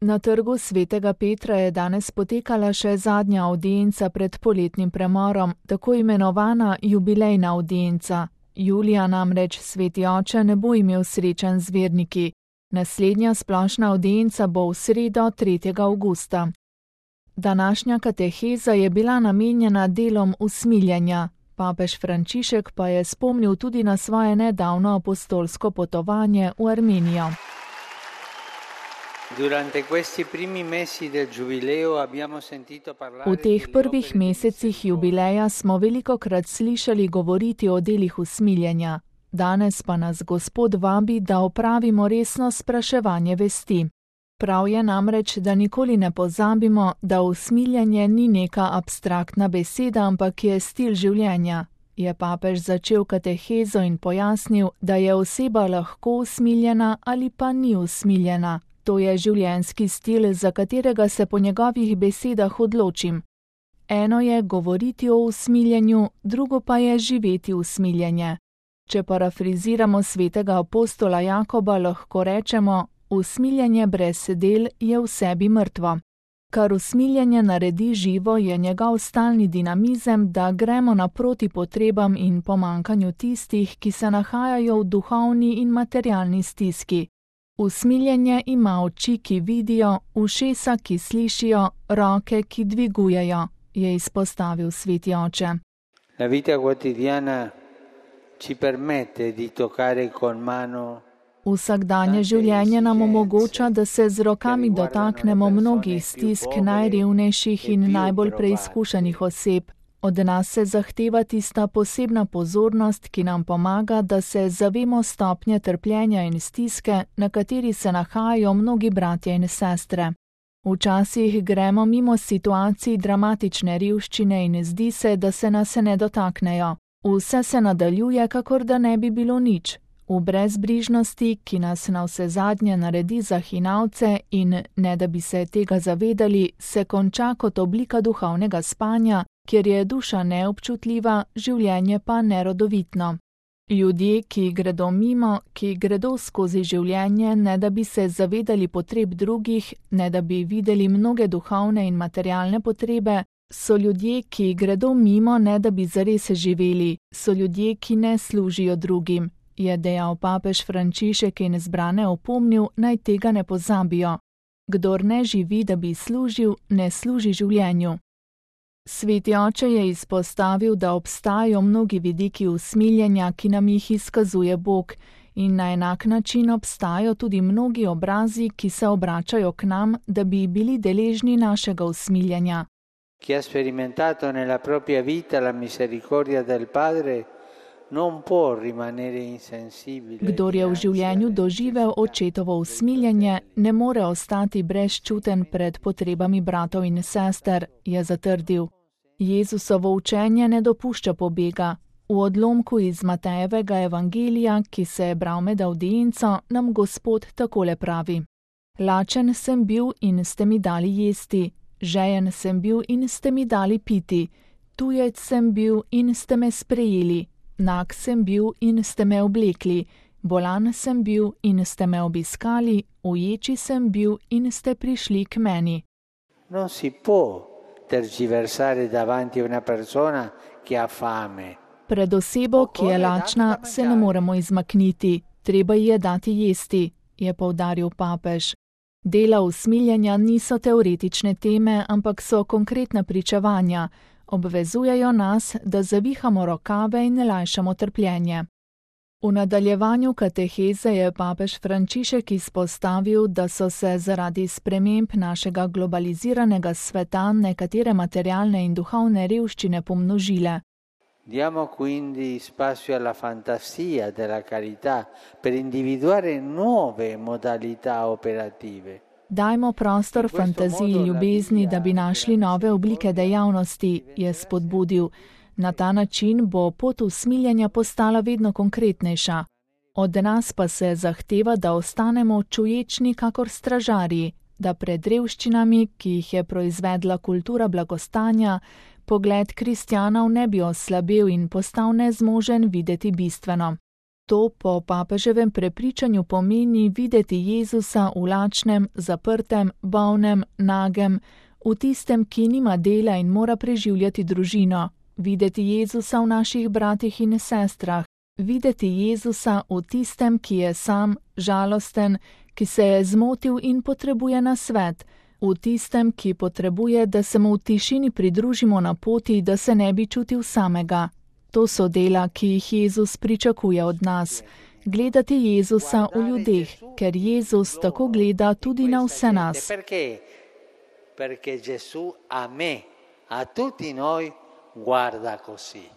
Na trgu Svetega Petra je danes potekala še zadnja avdienca pred poletnim premorom, tako imenovana jubilejna avdienca. Julija namreč Sveti oče ne bo imel srečanj z verniki. Naslednja splošna avdienca bo v sredo 3. avgusta. Današnja kateheza je bila namenjena delom usmiljenja. Papež Frančišek pa je spomnil tudi na svoje nedavno apostolsko potovanje v Armenijo. V teh prvih mesecih jubileja smo velikokrat slišali govoriti o delih usmiljenja. Danes pa nas Gospod vabi, da opravimo resno spraševanje vesti. Prav je namreč, da nikoli ne pozabimo, da usmiljenje ni neka abstraktna beseda, ampak je stil življenja. Je papež začel katehezo in pojasnil, da je oseba lahko usmiljena ali pa ni usmiljena. To je življenjski stil, za katerega se po njegovih besedah odločim. Eno je govoriti o usmiljenju, drugo pa je živeti usmiljenje. Če parafriziramo svetega apostola Jakoba, lahko rečemo: usmiljenje brez del je v sebi mrtvo. Kar usmiljenje naredi živo, je njegov stalni dinamizem, da gremo naproti potrebam in pomankanju tistih, ki se nahajajo v duhovni in materialni stiski. Usmiljenje ima oči, ki vidijo, ušesa, ki slišijo, roke, ki dvigujejo, je izpostavil Sveti oče. La vita quotidiana ci permette di toccare con mano. Vsakdanje življenje nam omogoča, da se z rokami dotaknemo mnogih stisk najrevnejših in najbolj preizkušenih oseb. Od nas se zahteva tista posebna pozornost, ki nam pomaga, da se zavemo stopnje trpljenja in stiske, na kateri se nahajajo mnogi bratje in sestre. Včasih gremo mimo situacij dramatične revščine in zdi se, da se nas ne dotaknejo. Vse se nadaljuje, kakor da ne bi bilo nič. V brezbrižnosti, ki nas navsezadnje naredi za hinavce in, ne da bi se tega zavedali, se konča kot oblika duhovnega spanja, kjer je duša neobčutljiva, življenje pa nerodovitno. Ljudje, ki gredo mimo, ki gredo skozi življenje, ne da bi se zavedali potreb drugih, ne da bi videli mnoge duhovne in materialne potrebe, so ljudje, ki gredo mimo, ne da bi zares živeli, so ljudje, ki ne služijo drugim, je dejal papež Frančišek in zbrane opomnil, naj tega ne pozabijo. Kdor ne živi, da bi služil, ne služi življenju. Sveti oče je izpostavil, da obstajajo mnogi vidiki usmiljenja, ki nam jih izkazuje Bog, in na enak način obstajajo tudi mnogi obrazi, ki se obračajo k nam, da bi bili deležni našega usmiljenja. Chi ha sperimentato nella propria vita la misericordia del Padre non può rimanere insensibile. Kdor je v življenju doživel očetovo usmiljenje, ne more ostati brezčuten pred potrebami bratov in sester, je zatrdil. Jezusovo učenje ne dopušča pobega. V odlomku iz Matejevega evangelija, ki se je bral med avdienco, nam Gospod takole pravi: Lačen sem bil in ste mi dali jesti, žejen sem bil in ste mi dali piti, tujec sem bil in ste me sprejeli. Nag sem bil in ste me oblekli, bolan sem bil in ste me obiskali, uječi sem bil in ste prišli k meni. Non si può tergiversare davanti a una persona che ha fame. Pred osebo, ki je lačna, se ne moremo izmakniti, treba ji je dati jesti, je poudaril papež. Dela usmiljenja niso teoretične teme, ampak so konkretna pričevanja. Obvezujejo nas, da zavihamo rokave in lajšamo trpljenje. V nadaljevanju kateheze je papež Frančišek izpostavil, da so se zaradi sprememb našega globaliziranega sveta nekatere materialne in duhovne revščine pomnožile. Diamo quindi spazio alla fantasia della carità per individuare nuove modalità operative. Dajmo prostor fantaziji ljubezni, da bi našli nove oblike dejavnosti, je spodbudil. Na ta način bo pot usmiljenja postala vedno konkretnejša. Od nas pa se zahteva, da ostanemo čuječni kakor stražarji, da pred revščinami, ki jih je proizvedla kultura blagostanja, pogled kristjanov ne bi oslabel in postal nezmožen videti bistveno. To po papeževem prepričanju pomeni videti Jezusa v lačnem, zaprtem, bolnem, nagem, v tistem, ki nima dela in mora preživljati družino, videti Jezusa v naših bratih in sestrah, videti Jezusa v tistem, ki je sam, žalosten, ki se je zmotil in potrebuje nasvet, v tistem, ki potrebuje, da se mu v tišini pridružimo na poti, da se ne bi čutil samega. To so dela, ki jih Jezus pričakuje od nas. Gledati Jezusa v ljudeh, ker Jezus tako gleda tudi na vse nas. Perché Gesù a me, a tutti noi, guarda così.